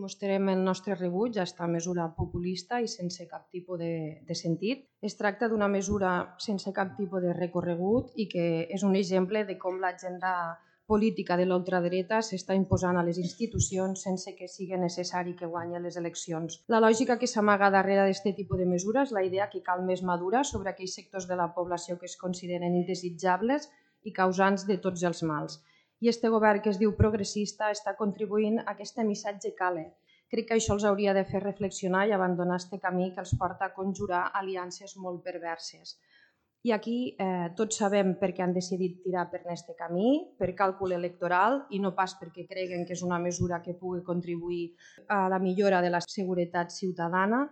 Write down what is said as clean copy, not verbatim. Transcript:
mostrem el nostre rebuig a aquesta mesura populista i sense cap tipus de sentit. Es tracta d'una mesura sense cap tipus de recorregut i que és un exemple de com l'agenda política de l'ultradreta s'està imposant a les institucions sense que sigui necessari que guanyi les eleccions. La lògica que s'amaga darrere d'aquest tipus de mesura és la idea que cal més madura sobre aquells sectors de la població que es consideren indesitjables i causants de tots els mals. I este govern que es diu progressista està contribuint a aquest missatge cale. Crec que això els hauria de fer reflexionar i abandonar este camí que els porta a conjurar aliances molt perverses. I aquí tots sabem per què han decidit tirar per aquest camí, per càlcul electoral i no pas perquè creguen que és una mesura que pugui contribuir a la millora de la seguretat ciutadana.